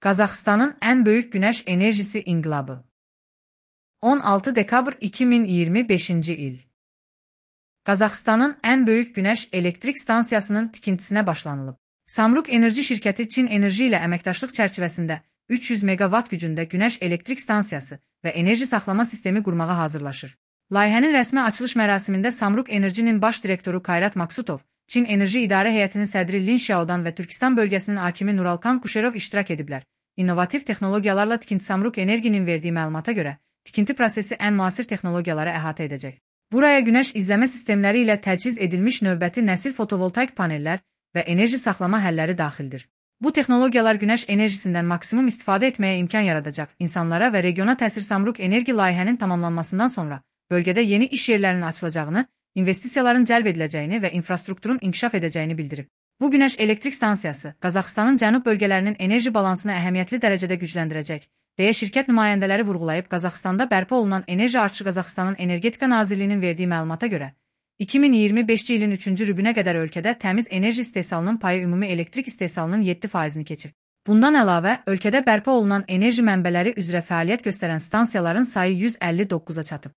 Qazaxıstanın ən böyük günəş enerjisi inqilabı. 16 dekabr 2025-ci il. Qazaxıstanın ən böyük günəş elektrik stansiyasının tikintisinə başlanılıb. Samruk Enerji şirkəti Çin Enerji ilə əməkdaşlıq çərçivəsində 300 megawatt gücündə günəş elektrik stansiyası və enerji saxlama sistemi qurmağa hazırlaşır. Layihənin rəsmi açılış mərasimində Samruk Enerjinin baş direktoru Kayrat Maksutov, Çin Enerji İdarə Heyətinin sədri Lin Xiaodan və Türkistan bölgəsinin hakimi Nuralkan Kuşerov iştirak ediblər. İnnovativ texnologiyalarla tikinti Samruk Enerjinin verdiyi məlumata görə, tikinti prosesi ən müasir texnologiyaları əhatə edəcək. Buraya günəş izləmə sistemləri ilə təchiz edilmiş növbəti nəsil fotovoltaik panellər və enerji saxlama həlləri daxildir. Bu texnologiyalar günəş enerjisindən maksimum istifadə etməyə imkan yaradacaq. İnsanlara və regiona təsir Samruk Enerji layihənin tamamlanmasından sonra bölgədə yeni iş yerlərinin açılacağını, investisiyaların cəlb ediləcəyini və infrastrukturun inkişaf edəcəyini bildirib. Bu günəş elektrik stansiyası Qazaxıstanın cənub bölgələrinin enerji balansını əhəmiyyətli dərəcədə gücləndirəcək, deyə şirkət nümayəndələri vurğulayıb. Qazaxıstanda bərpa olunan enerji artışı Qazaxıstanın Energetika Nazirliyinin verdiyi məlumata görə 2025-ci ilin 3-cü rübünə qədər ölkədə təmiz enerji istehsalının payı ümumi elektrik istehsalının 7%-ni keçib. Bundan əlavə, ölkədə bərpa olunan enerji mənbələri üzrə fəaliyyət göstərən stansiyaların sayı 159-a çatıb.